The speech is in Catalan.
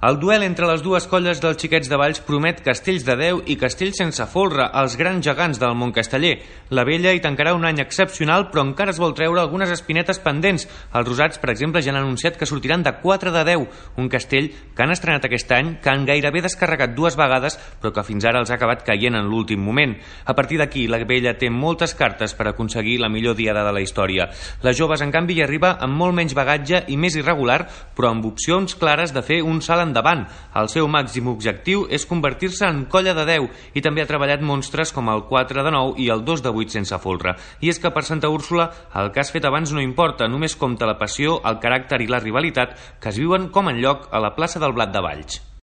El duel entre les dues colles dels Xiquets de Valls promet castells de Déu i castells sense folre, els grans gegants del món casteller. La Vella hi tancarà un any excepcional, però encara es vol treure algunes espinetes pendents. Els Rosats, per exemple, ja han anunciat que sortiran de 4 de 10, un castell que han estrenat aquest any, que han gairebé descarregat 2 vegades, però que fins ara els ha acabat caient en l'últim moment. A partir d'aquí, la Vella té moltes cartes per aconseguir la millor diada de la història. Les joves, en canvi, hi arriba amb molt menys bagatge i més irregular, però amb opcions clares de fer un salt endavant. El seu màxim objectiu és convertir-se en colla de 10 i també ha treballat monstres com el 4 de 9 i el 2 de 8 sense folre. I és que per Santa Úrsula el que has fet abans no importa, només compta la passió, el caràcter i la rivalitat que es viuen com enlloc a la plaça del Blat de Valls.